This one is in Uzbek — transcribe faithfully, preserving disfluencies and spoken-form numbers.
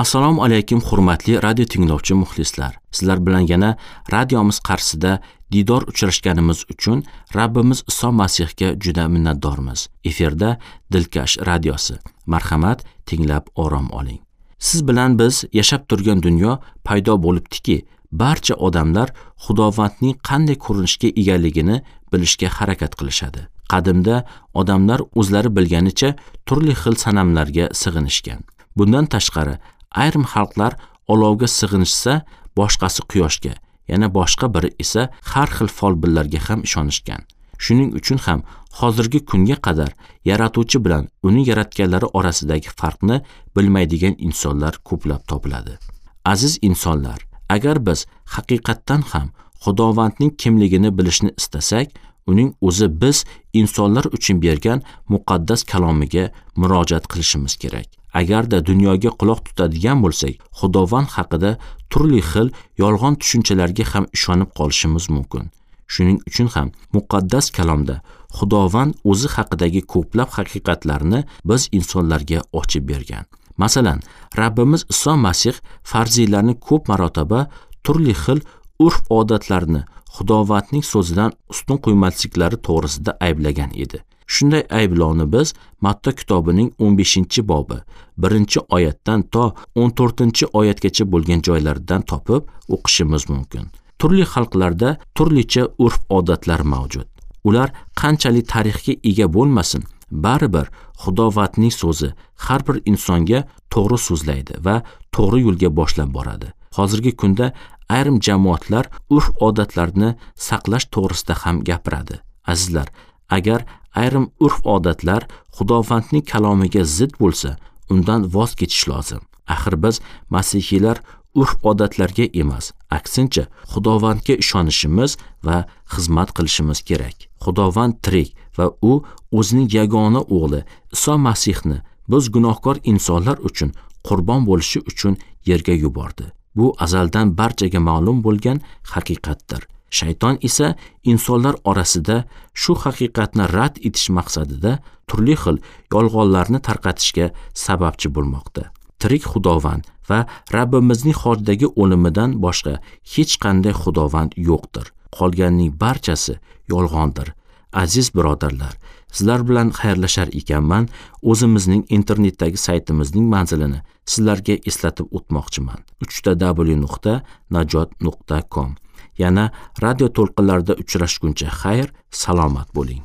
Assalomu alaykum hurmatli radio tinglovchi muxlislar. Sizlar bilan yana radiomiz qarshisida diydor uchrashganimiz uchun Rabbimiz Iso Masihga juda minnatdormiz. Efirda Dilkash radiosi. Marhamat, tinglab orom oling. Siz bilan biz yashab turgan dunyo paydo bo'libdiki, barcha odamlar Xudovandning qanday ko'rinishga egaligini bilishga harakat qilishadi. Qadimda odamlar o'zlari bilganicha turli xil sanamlarga sig'inishgan. Bundan tashqari, ayrim xalqlar olovga sig'inishsa, boshqasi quyoshga, yana boshqa biri esa har xil folbinlarga ham ishonishgan. Shuning uchun ham hozirgi kunga qadar yaratuvchi bilan uning yaratganlari orasidagi farqni bilmaydigan insonlar ko'plab topiladi. Aziz insonlar, agar biz haqiqatdan ham Xudovandning kimligini bilishni istasak, uning o'zi biz insonlar uchun bergan muqaddas kalomiga murojaat qilishimiz kerak. Agarda dunyoga quloq tutadigan bo'lsak, Xudovand haqida turli xil yolg'on tushunchalarga ham ishonib qolishimiz mumkin. Shuning uchun ham muqaddas kalomda Xudovand o'zi haqidagi ko'plab haqiqatlarni biz insonlarga ochib bergan. Masalan, Rabbimiz Iso Masih farziylarni ko'p marotaba turli xil urf-odatlarni Xudovandning so'zidan ustun qo'ymasliklari to'g'risida ayblagan edi. Shunday ayblovni biz Matta kitobining o'n beshinchi bobi birinchi oyatdan to o'n to'rtinchi oyatgacha bo'lgan joylardan topib o'qishimiz mumkin. Turli xalqlarda turlicha urf-odatlar mavjud. Ular qanchalik tarixga ega bo'lmasin, baribir Xudovandning so'zi har bir insonga to'g'ri so'zlaydi va to'g'ri yo'lga boshlab boradi. Hozirgi kunda ayrim jamoatlar urf-odatlarni saqlash to'g'risida ham gapiradi. Azizlar, agar ayrim urf-odatlar Xudovandning kalomiga zid bo'lsa, undan voz kechish lozim. Axir biz masihiylar urf-odatlarga emas, aksincha Xudovandga ishonishimiz va xizmat qilishimiz kerak. Xudovand tirik va u o'zining yagona o'g'li Iso Masihni biz gunohkor insonlar uchun qurbon bo'lishi uchun yerga yubordi. Bu azaldan barchaga ma'lum bo'lgan haqiqatdir. Shayton esa insonlar orasida shu haqiqatni rad etish maqsadida turli xil yolg'onlarni tarqatishga sababchi bo'lmoqda. Tirik Xudovand va Rabbimizning xojdagi o'limidan boshqa hech qanday Xudovand yo'qdir. Qolganning barchasi yolg'ondir. Aziz birodarlar, sizlar bilan xayrlashar ekanman, o'zimizning internetdagi saytimizning manzilini sizlarga eslatib o'tmoqchiman. uch ta w nuqta najot nuqta com. Yana radio to'lqinlarida uchrashguncha xayr, salomat bo'ling.